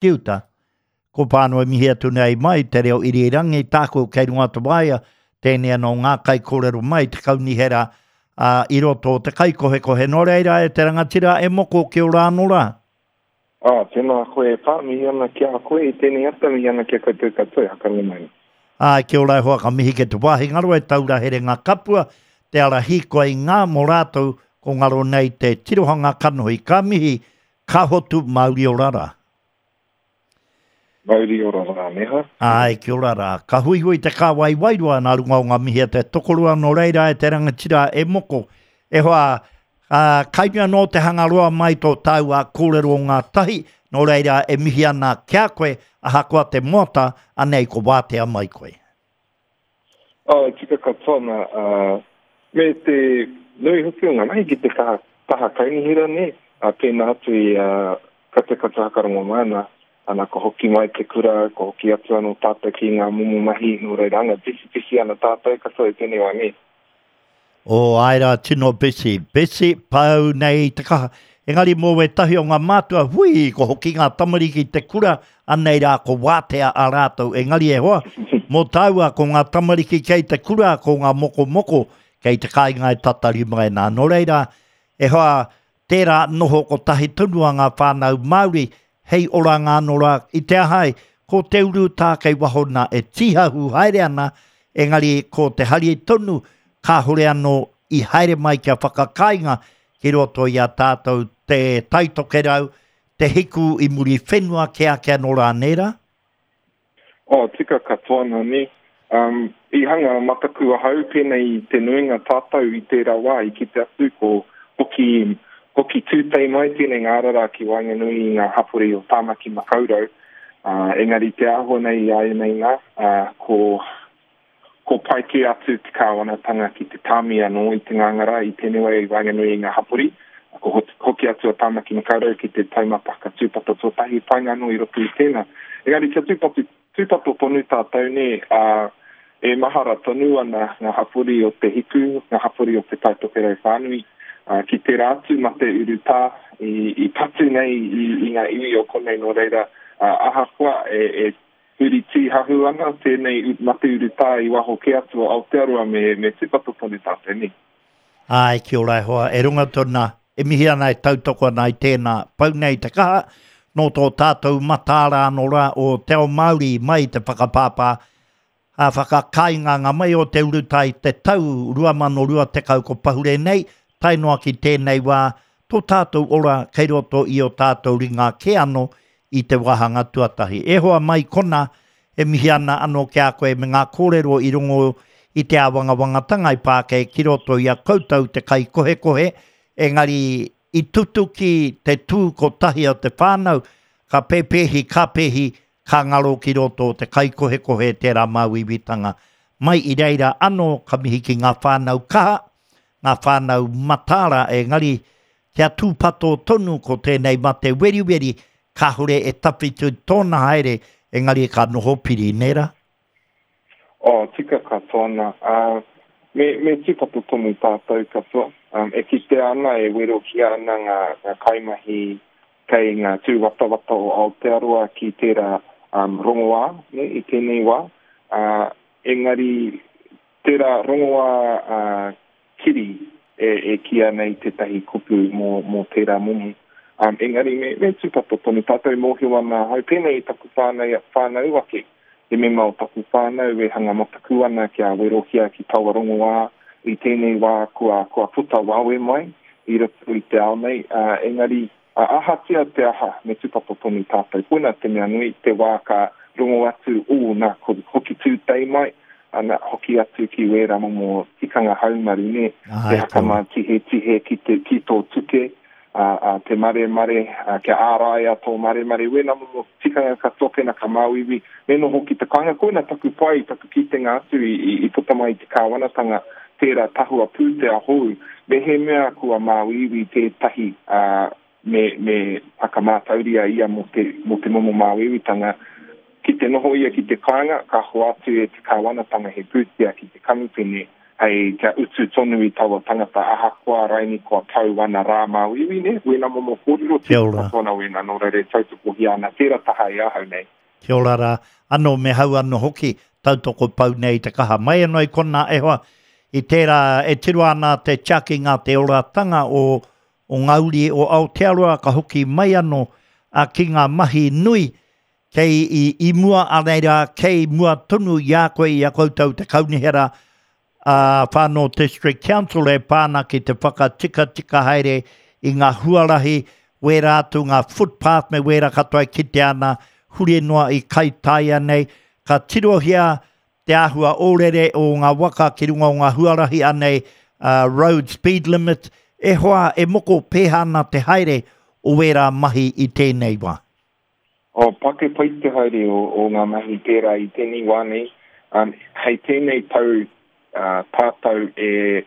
Ki uta. Ko Pānui mihi atu nei mai te reo irirangi tāku kei runga te waea, tēnei anō ngā kaikōrero mai te kaunihera ā, i roto o te kaikohekohe. Nō reira e te rangatira e moko kia ora anō rā. Ā, tēnā koe e Pā, mihi ana ki a koe i tēnei ata, mihi ana ki a koutou katoa e hakarongo mai nei. Āe, kia ora e hoa, ka mihi ki te wāhi ngaro e taura herenga kapua, te ara hīkoi i ngā mō rātou ko ngaro nei te tirohanga kanohi. Ka mihi, ka hotu, mauri ora rā. Mauri ora rā, Neha. Āe, kia ora rā. Ka huihui te kāwai wairua nā runga o ngā mihi a te tokorua nō reira e te rangatira e moko. E hoa, ā, kai mea nō te hangaroa mai tō tāua kōrero ngātahi, nō reira e mihi ana ki a koe, ahakoa te moata, anei ko wātea mai koe. Oh, e tika katoa ana, ā, me te nui hoki o ngā mahi ki te kaha, taha kaunihera, nē, ā, pēnā atu i a Katakata Hakarongo mai ana, ana ka hoki mai te kura, ka hoki atu anō tātou ki ngā momo mahi, nō reira, anga busy ana tātou katoa i tēnei wā, nē. Oh, āe rā, tino busy. Busy, pau nei te kaha. Engari mō wētahi o ngā mātua, hui, ko hoki ngā tamariki te kura, anei rā ko wātea a rātou. Engari e hoa, mō tāua ko ngā tamariki kei te kura, ko ngā mokomoko kei te kāinga e tatari mai nā. Nō reira, e hoa, Tērā noho kotahi tonu a ngā whānau Māori hei oranga anō rā i te aha ai, ko te urutā kei waho nā e tīhahu haere ana, engari ko te hari tonu kāhore anō i haere mai kia whakakāinga ki roto i a tātou te Taitokerau, te hiku i muri whenua kē ake anō rā, nē rā? Oh, tika katoa ana, nē. Um, i hanga mataku ahau pēnei i te nuinga tātou i tērā wā i kite atu ko hoki, hoki tūtei mai tēnei ngārara ki waenganui i ngā hapori o Tāmaki Makaurau. Uh, engari te āhua nei i āianei nā, uh, ko, ko pai kē atu te kāwanatanga ki te tāmi anō i te ngāngara i tēnei wā i waenganui i ngā hapori. Ko hoki atu a Tāmaki Makaurau ki te taumata whakatūpato tuatahi, painga anō i roto i tēnā. Engari kia tūpato, tūpato tonu tātou nē, ā, e mahara tonu ana ngā hapori o Te Hiku, ngā hapori o Te Tai Tokerau whānui, ā, ki tērā atu mate urutā i, i patu nei i, i ngā iwi o konei nō reira, ā, ahakoa e, e Huri tīhahu ana tēnei mate urutā i waho kē atu o Aotearoa me, me tūpato tonu tātou, nē. Āe, kia ora e hoa, e runga tonu nā, e mihi ana e tautoko ana i tēnā pau nei te kaha, nō tō tātou mataara anō rā o Te Ao Māori mai te whakapāpā ā whakakāinganga mai o te urutā i te tau 2020 ko pahure nei, tae noa ki tēnei wā, tō tātou ora kei roto i ō tātou ringa kē anō i te wāhanga tuatahi. E hoa mai kona, e mihi ana anō ki a koe me ngā kōrero i rongo i te āwangawangatanga i pā kei ki roto i a koutou te kaikohekohe, engari i tutuki te tū kotahi o te whānau, ka pēpēhi, ka pēhi, ka ngaro ki roto o te kaikohekohe tērā māuiuitanga. Mai i reira anō ka mihi ki ngā whānau kaha, ngā whānau mataara engari kia tūpato tonu ko tēnei mate weriweri kāore e tawhiti tōna haere engari ka noho piri, nē rā? Oh, tika katoa ana. Ā, me, me tūpato tonu tātou katoa. Um, e kitea ana, e werohia ana ngā, ngā kaimahi kei ngā tūwatawata o Aotearoa ki tērā um, rongoā, ne, i tēnei wā. Ā, engari, tērā rongoā ā, kiri e, e kīia nei tētahi kupu mō, mō tērā momo. Um, engari me, me tūpato tonu tātou e mōhio ana ahau, pēnei i taku whānau, whānau ake, he mema o taku whānau e hanga mataku ana kia werohia ki taua rongoā i tēnei wā kua, kua puta wawe mai i roto i te ao nei, uh, engari A ahatia te aha, me tūpato tonu tātou. Koina te mea nui, te wā ka rongo atu, ū, nā, ko hoki tūtei mai, ana, hoki atu ki wērā momo tikanga haumaru, nē, te haka tihetihe ki te, ki tō tuke, ā, ā, te maremare, ā, kia āraia tō maremare, wēnā momo tikanga katoa pēnā ka māuiui, me noho ki te kāinga. Koina taku pai, taku kitenga atu i, i, i puta mai i te kāwanatanga, tērā tahua pūtea hou, mehemea kua māuiui tētahi, ā, me, me whakamātauria ia mō te, mō te momo māuiuitanga, ki te noho ia ki te kāinga, ka hoatu e te kāwanatanga he pūtea ki te kamupene. hei kia utu tonu i taua tangata ahakoa raini kua pau ana rā māuiui, nē, wēnā momo kōrero, tika katoa ana wēnā, nō reira e tautokohia ana tērā taha e ahau nei. Kia ora rā, anō me hau anō hoki, tautoko pau nei i te kaha. Mai anō i konā e hoa, i tērā e tiro ana te tiakinga, te oratanga o, o ngā uri o Aotearoa ka hoki mai anō a, ki ngā mahi nui kei i, i mua a reira, kei mua tonu i a koe, i a koutou te kaunihera a Far North District Council e pā ana ki te whakatikatika haere i ngā huarahi, wērā atu ngā footpath me wērā katoa e kitea ana huri noa i Kaitaia nei. Ka tirohia te āhua ōrere o ngā waka ki runga o ngā huarahi anei road speed limit, e hoa e moko pēhā ana te haere o wērā mahi i tēnei wā? Oh, pake pai te haere o, o ngā mahi pērā i tēnei wā nei. Um, hei tēnei tau uh, tātou e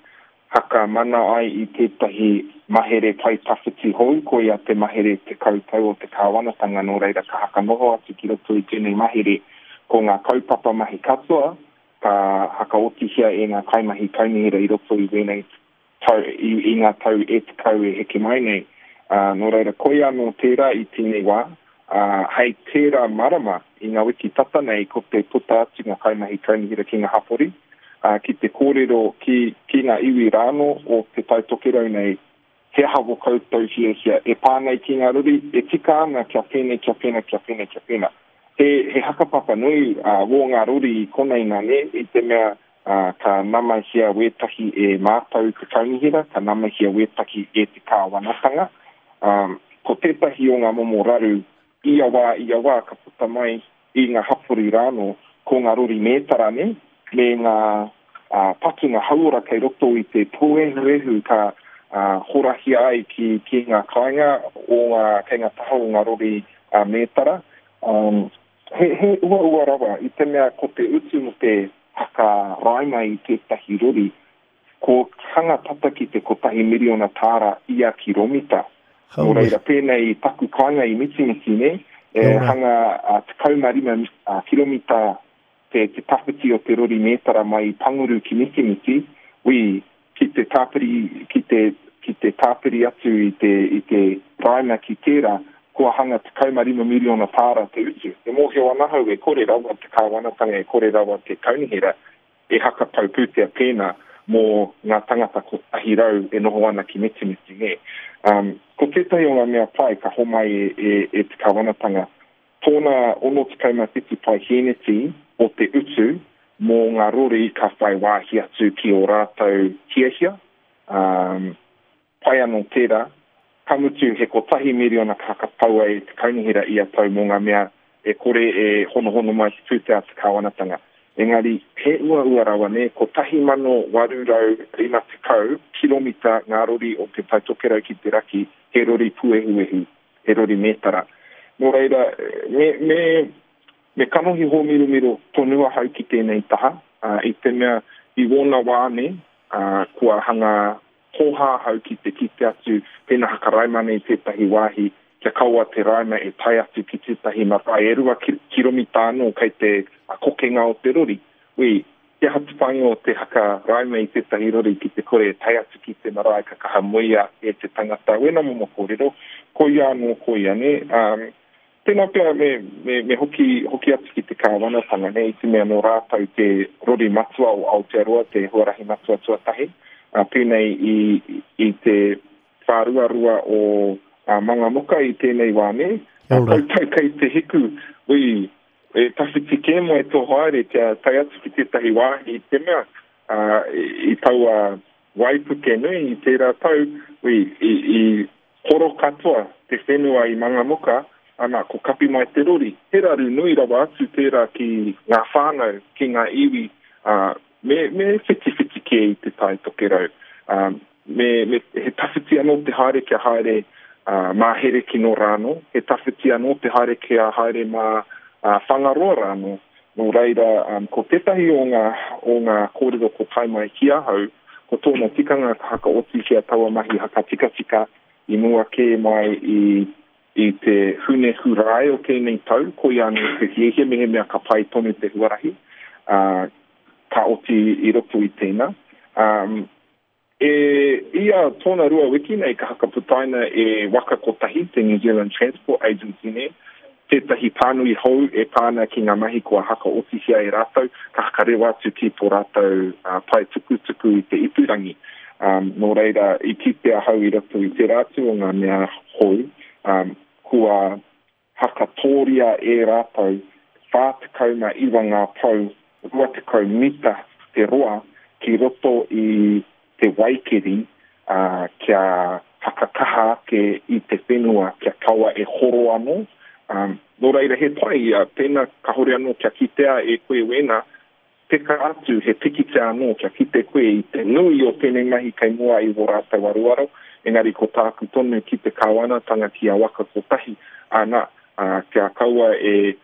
whakamana ai i tētahi mahere pae tawhiti hou, koia te mahere 10 tau o te kāwanatanga, nō reira ka hakanoho atu ki roto i tēnei mahere ko ngā kaupapa mahi katoa ka hakaotihia e ngā kaimahi kaunihera i roto i wēnei tau, i, i ngā tau e 10 e heke mai nei. Ā, nō reira, koia anō tērā i tēnei wā, ā, hei tērā marama, i ngā wiki tata nei, ko te puta atu ngā kaimahi kaunihera ki ngā hapori, ā, ki te kōrero ki, ki ngā iwi rānō o Te Tai Tokerau nei, he aha wō koutou hiahia e pā nei ki ngā rori, e tika ana kia pēnei, kia pēnā, kia pēnei, kia pēnā. He, he hakapapa nui, ā, wō ngā rori i konei nā nē, i te mea, ā, ka namahia wētahi e mātou te kaunihera, ka namahia wētahi e te kāwanatanga. Ā, ko tētahi o ngā momo raru ia wā, ia wā ka puta mai i ngā hapori rānō, ko ngā rori mētara nē, me ngā ā, patunga hauora kei roto i te pōehuehu ka ā, horahia ai ki, ki ngā kāinga o ngā, kei ngā taha o ngā rori ā, mētara. Ā, He, he uaua rawa, i te mea ko te utu mō te whakaraima i tētahi rori, ko hanga tata ki te kotahi miriona tāra ia kiromita. Nō reira, pēnei i taku kāinga i Mitimiti, nē, e hanga 15 kiromita te, te tawhiti o te rori mētara mai i Panguru ki Mitimiti, wī, ki te tāpiri, ki te, ki te tāpiri atu i te, i te raima ki tērā, kua hanga 15 miriona tāra te utu. E mōhio ana ahau e kore rawa te kāwanatanga, e kore rawa te kaunihera e hakatau pūtea pēnā mō ngā tangata 100 e noho ana ki Mitimiti, nē. Um, ko tētahi o ngā mea pai ka homai e, e, e te kāwanatanga, Tōna 67 paihēneti o te utu mō ngā rori ka whai wāhi atu ki ō rātou hiahia, ā, pai anō tērā, ka mutu he kotahi miriona ka whakapaua e te kaunihera ia tau mō ngā mea e kore e honohono mai te pūtea a te kāwanatanga. Engari, he uaua rawa nē, 1850 kiromita ngā rori o Te Tai Tokerau ki te raki, he rori pūehuehu. he rori mētara. Nō reira, me, me, me kanohi hōmiromiro tonu ahau ki tēnei taha, ā, i te mea, i wōna wā nei, ā, kua hanga hōhā ahau ki te kite atu pēnā haka raima nei tētahi wāhi, kia kaua te raima e tae atu ki tētahi marae e rua kiromita anō kei te kokenga o te rori. Wī, He aha te whāinga o te haka raima i tētahi rori ki te kore e tae atu ki te marae ka kaha muia e te tangata? Wēnā momo kōrero, koia anō koia, nē? Um, tēnā pea me, me, me hoki, hoki atu ki te kāwanatanga, nē, i te mea nō rātou te rori matua o Aotearoa, te huarahi matua tuatahi, uh, pēnei i, i te whāruarua o uh, Mangamuka i tēnei wā, nē? Uh, koutou kei te hiku, ui, E tawhiti kē mai tō haere kia tae atu ki tētahi wāhi i te mea, ā, i taua waipuke nui i tērā tau, ui, i, i horo katoa te whenua i Mangamuka, ana, ko kapi mai te rori. He raru nui rawa atu tērā ki ngā whānau, ki ngā iwi, ā, me, me whitiwhiti kē i Te Tai Tokerau. Ā, me, me, he tawhiti anō te haere kia haere ā, mā Herekino rānō, he tawhiti anō te haere kia haere mā ā, Whangaroa rānō. Nō reira, um, ko tētahi o ngā, o ngā kōrero ko tae mai ki ahau, ko tōna tikanga ka hakaotihia taua mahi hakatikatika i mua kē mai i, i te Hune Hurae o tēnei tau, koia anō te hiahia mehemea ka pai tonu te huarahi, ā, ka oti i roto i tēnā. Um, e ia tōna rua wiki nei ka hakaputaina e Waka Kotahi, te New Zealand Transport Agency nei, tētahi pānui hou e pā ana ki ngā mahi kua hakaotihia e rātou, ka hakarewa atu ki tō rātou uh, pae tukutuku i te ipurangi. Um, nō reira, i kite ahau i roto i tērā atu o ngā mea hou, um, kua Hakatōria e rātou 49 ngā pou 20 mita te roa ki roto i te waikeri, ā, kia whakakaha ake i te whenua kia kaua e horo anō. Ā, nō reira he pai, pēnā kāore anō kia kitea e koe wēnā, Peka atu he pikitia anō kia kite koe i te nui o tēnei mahi kei mua i wō rātou aroaro, engari ko tāku tonu ki te kāwanatanga ki a Waka Kotahi, ana, ā, kia kaua e,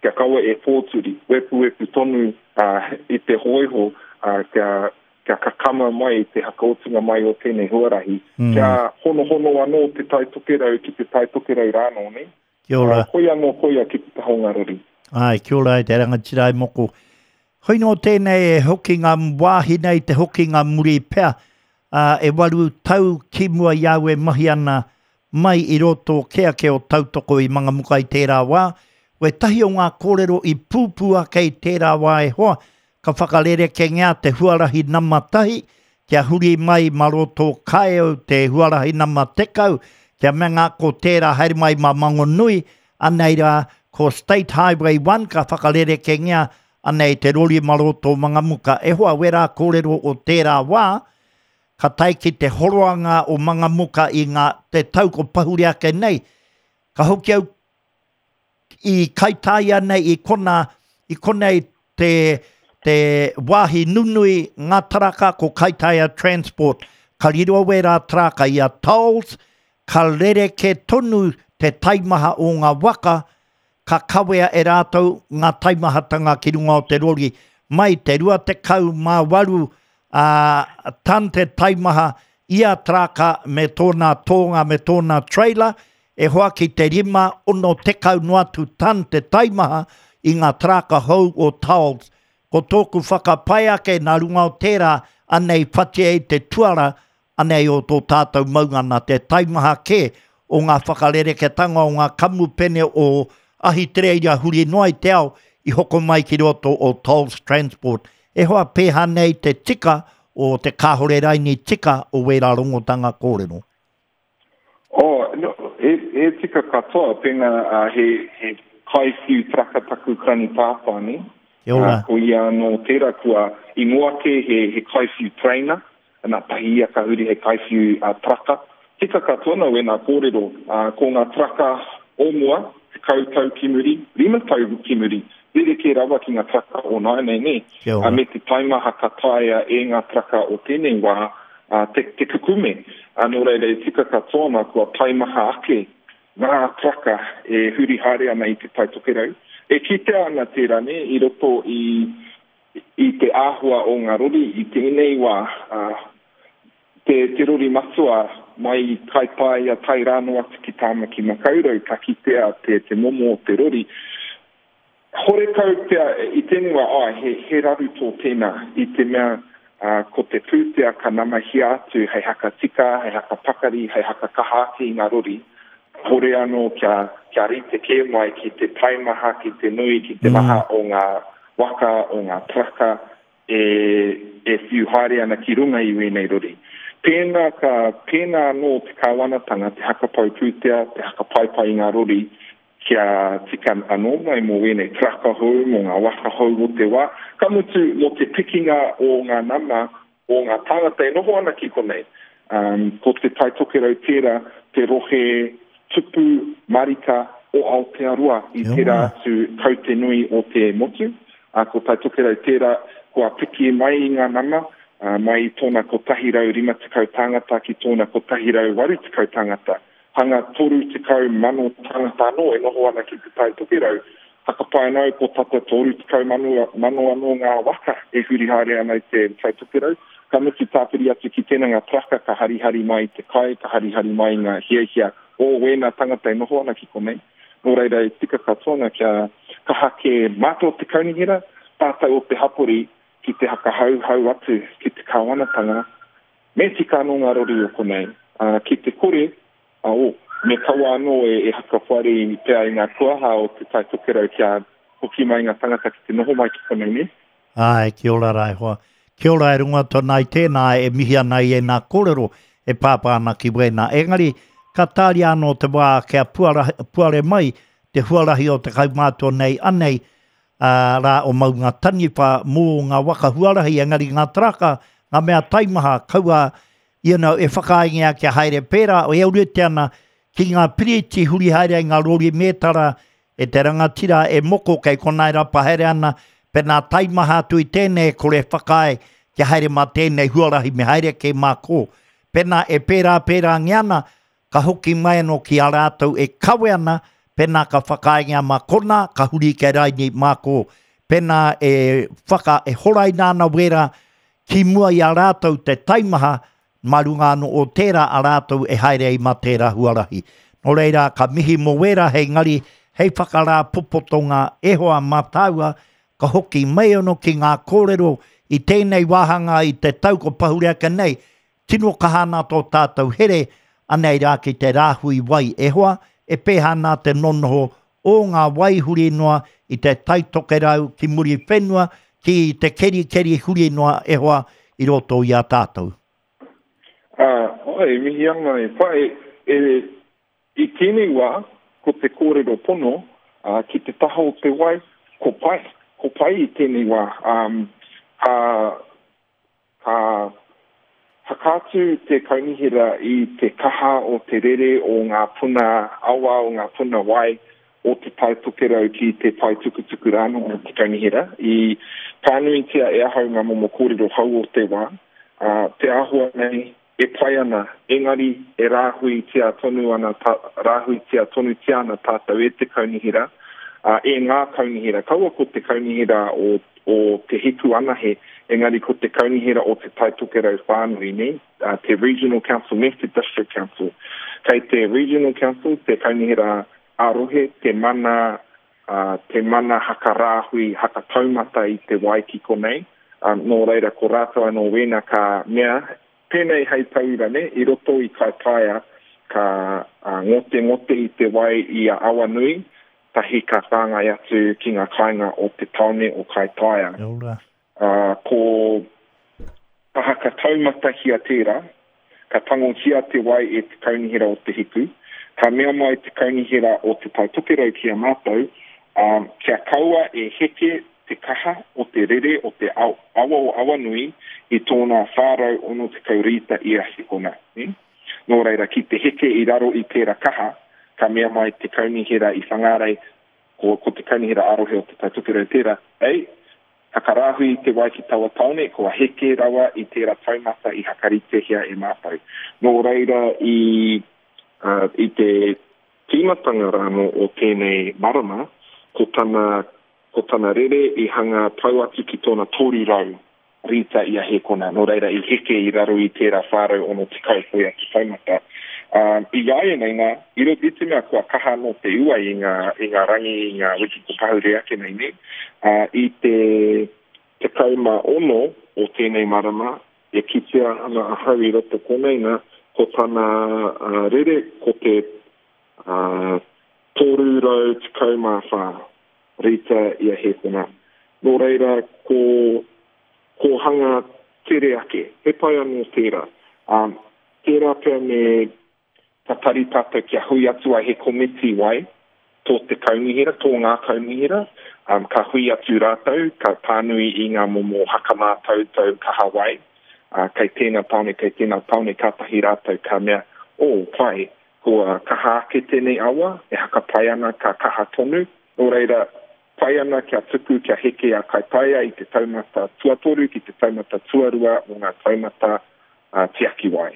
kia kaua e pōturi, wepuwepu tonu, ā, i te hōiho, ā, kia, kia kakama mai te hakaotinga mai o tēnei huarahi, kia honohono anō te Tai Tokerau ki te Tai Tokerau rānō, nē? Kia ora. Ā, koia anō koia ki te taha o ngā rori. Āe, kia ora e te rangatira e moko. Hoi nō tēnei e hoki ngā wāhi nei te hoki ngā muri pea, ā, e waru tau ki mua i au e mahi ana mai i roto kē ake o Tautoko i Mangamuka i tērā wā. Wētahi o ngā kōrero i pūpū ake i tērā wā e hoa, Ka whakarerekengia te huarahi nama tahi kia huri mai ma roto Kaeo te huarahi nama 10 kia mea ko tērā haere mai ma Mangonui, anei rā ko State Highway 1 ka whakarerekengia anei te rori ma roto Mangamuka. E hoa wērā kōrero o tērā wā, ka tae ki te horoanga o Mangamuka i ngā te tau ko pahure ake nei, ka hoki au i Kaitāia nei i kona, i konei te, te wāhi nunui ngā taraka ko Kaitāia Transport. Ka riro wērā taraka i a Tolls, ka rerekē tonu te taimaha o ngā waka, ka kawea e rātou ngā taimahatanga ki runga o te rori. Mai te 28 ā, tan te taimaha ia taraka me tōna tōnga me tōna trailer, E hoa ki te rima, 60 noa atu tan te taimaha i ngā taraka hou o Taols. Ko tōku whakapae ake nā runga o tērā, anei whati ai te tuara, anei o tō tātou maunga nā te taimaha kē o ngā whakarereketanga o ngā kamupene o Ahitereiria huri noa i te ao i hoko mai ki roto o Tolls Transport. E hoa pēhā nei te tika o te kāhore raini tika o wērā rongotanga kōrero. Oh, no, he, he tika katoa, pēnā uh, he, he kaiwhiu taraka taku karani pāpā, ne? Kia ora. Uh, ko ia anō tērā kua, i mua kē he, he kaiwhiu trainer, nā tahi ia ka huri hei kaiwhiu uh, taraka. Tika katoa nō wēnā kōrero, uh, ko ngā taraka o mua, 10 tau ki muri, rima tau ki muri, rerekē rawa ki ngā taraka o nāianei, nē? Kia ora. Uh, me te taimaha ka taea e ngā taraka o tēnei wā, ā, te, te kukume. Ā, nō reira, e tika katoa ana kua taimaha ake ngā taraka e huri haere ana i Te Tai Tokerau. E kitea ana tērā, nē, i roto i, i te āhua o ngā rori i tēnei wā, ā, te, te rori matua mai i Kaitāia tae rānō atu ki Tāmaki Makaurau, ka kitea te, te momo o te rori. Horekau pea i tēnei wā, āe, he, he raru tō tēnā, i te mea, ā, ko te pūtea ka namahia atu hei haka tika, hei haka pakari, hei haka kaha ake i ngā rori, hore anō kia, kia rite kē mai ki te taimaha, ki te nui, ki te maha o ngā waka, o ngā taraka e, e whiu haere ana ki runga i wēnei rori. Pēnā ka, pēnā anō te kāwanatanga, te hakapau pūtea, te hakapaepae i ngā rori, kia tika anō mai mō wēnei taraka hou, mō ngā waka hou o te wā, ka mutu mō te pikinga o ngā nama o ngā tāngata e noho ana ki konei. Um, ko Te Tai Tokerau tērā te rohe tupu marika o Aotearoa i tērā atu kaute nui o te motu. Uh, ko Tai Tokerau tērā kua piki mai i ngā nama, uh, mai i tōna 150 tāngata ki tōna 180 tāngata. Hanga 30,000 tāngata anō e noho ana ki Te Tai Tokerau. Whakapae ana au ko tata 30,000 anō ngā waka e huri haere ana i Te Tai Tokerau. Ka mutu tāpiri atu ki tēnā ngā taraka ka harihari mai i te kai, ka harihari mai i ngā hiahia o wēnā tangata e noho ana ki konei. Nō reira e tika katoa ana kia kaha kē mātou o te kaunihera, tātou o te hapori. ki te hakahauhau atu ki te kāwanatanga, me tika anō ngā rori o konei, ā, ki te kore, ā, oh, me kaua anō e, e hakawhare pea i ngā kuaha o Te Tai Tokerau kia hoki mai ngā tangata ki te noho mai ki konei, nē? Āe, kia ora rā e hoa. Kia ora e runga tonu ai tēnā e mihi ana i ēnā kōrero e pāpā ana ki wēnā. Engari, ka tāria anō te wā kia puara, puare mai te huarahi o te kaumātua nei anei, ā, rā o Maunga Taniwha mō ngā waka huarahi, engari ngā taraka, ngā mea taimaha, kaua, you know, e whakaaengia kia haere pērā, e ōrite ana ki ngā piriti huri haere ai ngā rori mētara e te rangatira e moko kei konā e rapa haere ana, pēnā taimaha atu i tēnei e kore e whakaae kia haere mā tēnei huarahi me haere kē mā kō. Pēnā e pērā pērāngia ana, ka hoki mai anō ki a rātou e kawe ana, pēnā ka whakaaengia mā konā, ka huri kei raini mā kō. Pēnā e whaka, e horaina ana wērā ki mua i a rātou te taimaha, mā runga anō o tērā a rātou e haere ai mā tērā huarahi. Nō reira, ka mihi mō wērā hei ngari, hei whakarāpopotonga e hoa mā tāua, ka hoki mai anō ki ngā kōrero i tēnei wāhanga i te tau ko pahure ake nei, tino kaha ana tō tātou here, anei rā ki te rāhui wai e hoa, e pēhā ana te nonoho o ngā wai huri noa i te Tai Tokerau ki Muriwhenua, ki te kerikeri huri noa e hoa i roto i a tātou. Ā, e mihi ana e whai, e, i tēnei wā, ko te kōrero pono, ā, ki te taha o te wai, ko pai, ko pai i tēnei wā, ā, ka, Ka whakaatu te kaunihera i te kaha o te rere o ngā puna awa, o ngā puna wai o Te Tai Tokerau ki te pae tukutuku rānō o te kaunihera. I pānuitia e ahau ngā momo kōrero hou o te wā, ā, te āhua nei e pai ana, engari e rāhuitia tonu ana, rāhuitia tonutia ana tātou e te kaunihera, ā, e ngā kaunihera, kaua ko te kaunihera o, o Te Hiku anahe, engari ko te kaunihera o Te Tai Tokerau whānui, nē, te Regional Council me te District Council. Kei te Regional Council, te kaunihera ā-rohe, te mana, ā, te mana haka rāhui, haka taumata i te wai ki konei, ā, nō reira ko rātou anō wēnā ka mea, Pēnei hei tauira nē, i roto i Kaitaia ka ngotengote i te wai i a Awanui, tahi ka whāngai atu ki ngā kāinga o te tāone o Kaitaia. Kia ora. Ā, ko taha ka taumatahia tērā, ka tangohia te wai e te Kaunihera o Te Hiku, ka mea mai te Kaunihera o Te Tai Tokerau ki a mātou, ā, kia kaua e heke te kaha o te rere o te awa o Awanui i tōna 460 rīta ia hekona. Nō reira, ki te heke i raro i tērā kaha, ka mea mai te kaunihera i Whangārei, ko, ko te kaunihera ā-rohe o Te Tai Tokerau tērā, Ei, hakarāhui i te wai ki taua tāone, kua heke rawa i tērā taumata i hakaritehia e mātou. Nō reira, i, uh, i te tīmatanga rānō o tēnei marama, ko tana Ko tana rere i hanga tau atu ki tōna 300 rīta i a Hēkona, nō reira i heke i raro i tērā 460 koia te taumata. Ā, i āianei nā, i roto i te mea kua kaha anō te ua i ngā, i ngā rangi, i ngā wiki ko pahure ake nei, nē, ā, i te 16 o tēnei marama e kitea ana ahau i roto konei nā, ko tana rere ko te ā, 314 rīta i a Hēkona. Nō reira, ko, ko hanga tere ake. He pai anō tērā. Ā, tērā pea me tatari tātou kia hui atu ai he komiti wai tō te kaunihera, tō ngā kaunihera, ā, ka hui atu rātou, ka pānui i ngā momo hakamātautau kaha wai, ā, kei tēnā tāone, kei tēnā tāone, kātahi rātou ka mea, oh, pai, Kua kaha ake tēnei awa, e haka pai ana ka kaha tonu, nō reira, pai ana kia tuku kia heke a Kaitaia i te taumata tuatoru ki te taumata tuarua o ngā taumata tiaki wai.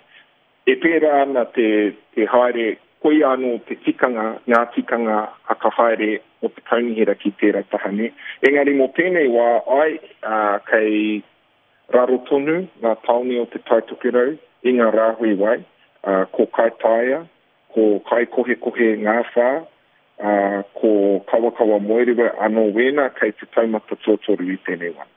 E pērā ana te te haere, koia anō te tikanga, ngā tikanga haka haere o te kaunihera ki tērā taha, nē. Engari mō tēnei wā, ai, kei Raro tonu ngā tāone o Te Tai Tokerau i ngā rāhui wai, ā, ko Kaitaia, ko Kaikohekohe Ngāwhā, ā, ko Kawakawa Moerewa anō wēnā kei te taumata tuatoru i tēnei wā.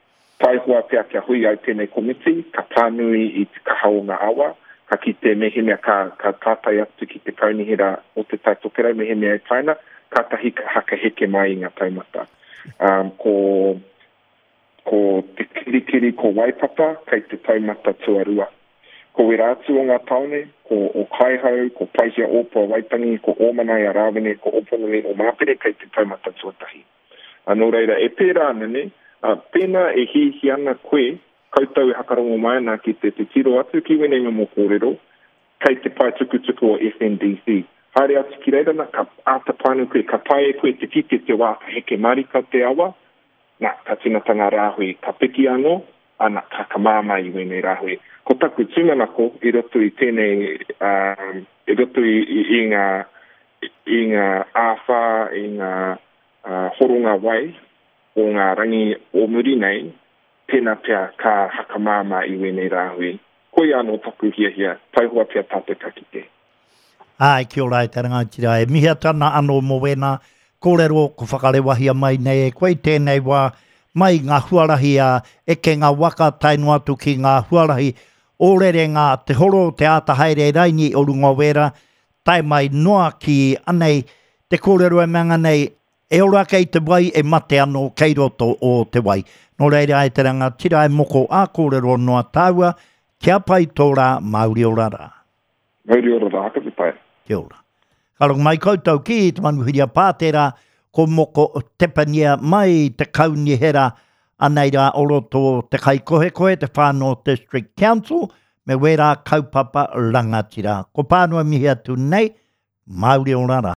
Taihoa pea kia hui ai tēnei komiti, ka pānui i te kaha o ngā awa, ka kite mehemea ka, ka tātai atu ki te kaunihera o Te Tai Tokerau mehemea e taina, kātahi ka hakaheke mai i ngā taumata. Um, ko, ko Te Kirikiri, ko Waipapa, kei te taumata tuarua. Ko wera atu o ngā tāone, ko Okaihau, ko Paihia Ōpua Waitangi, ko Ōmanaia Rāwene, ko Ōponui o Māpere kei te taumata tuatahi. Ā, nō reira, e pērā ana, nē? Ā, pēnā e hiahia ana koe, koutou e hakarongo mai ana ki te titiro atu ki wēnei momo kōrero, kei te pae tukutuku o FNDC. Haere atu ki reira, nā, ka āta pānui koe, ka taea e koe te kite te wā ka heke marika te awa, nā, ka tīmata ngā rāhui, ka piki anō, ana, ka, ka māmā i wēnei rāhui. Ko taku tūmanako i roto i tēnei, ā, i roto i, i, i ngā, i ngā āwhā, i ngā horonga wai o ngā rangi o muri nei, tēnā pea ka hakamāmā i wēnei rāhui. Koia anō taku hiahia, taihoa pea tātou ka kite. Āe, kia ora e te rangatira, e mihi atu ana anō mō wēnā kōrero ko whakarewahia mai nei e koe i tēnei wā, mai i ngā huarahi a ekenga waka tae noa atu ki ngā huarahi o rerenga te horo, te āta haere raini o runga o wērā, Tae mai noa ki anei te kōrero e mea nei, e ora kei te wai, e mate anō kei roto o te wai. Nō reira e te rangatira e moko ā kōrero noa tāua, kia pai tō rā, mauri ora rā. Mauri ora rā, ka pai. Kia ora. Ka rongo mai koutou ki te manuhiri a Pātera, ko Moko Tepania mai te kaunihera anei rā o roto te Kaikohekohe, te Whānau District Council, Me wērā kaupapa rangatira. Ko Pānua mihi atu nei, Māori ora rā.